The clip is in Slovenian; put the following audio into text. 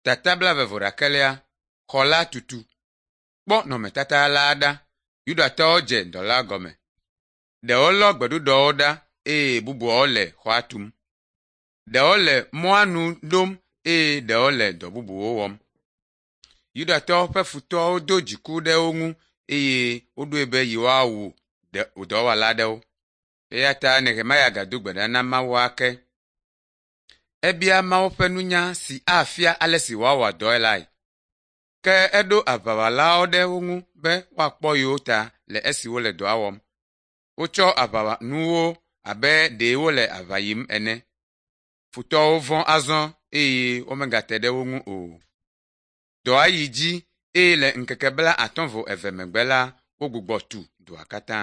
tatabla vevorakelia xɔla tutu. Kpɔ nɔmetata la ɖa, Yudatɔwo dze dɔ la gɔme. Ɖewo lɔ gbeɖuɖɔwo ɖa eye bubuawo le xɔa tum. Ɖewo le mɔa nu ɖom eye ɖewo le dɔ bubuwo wɔm. Yudatɔwo ƒe futɔwo do dziku ɖe wo ŋu eye woɖoe be yewoawu dɔwɔla ɖewo. Eya ta Nehemia gado gbe ɖa na Mawu ake. Ebia Mawu ƒe nunya si afia ale si woawɔ dɔe lae. Ke eɖo aʋawɔlawo ɖe wo ŋu be woakpɔ yewo ta le esi wole dɔa wɔm. Wotsɔ aʋanuwo abe ɖe wole aʋa yim ene. Futɔwo vɔ̃ azɔ eye womegate ɖe wo ŋu o. Dɔa yi dzi eye le ŋkeke 52 megbe la, wogbugbɔ tu dɔa katã.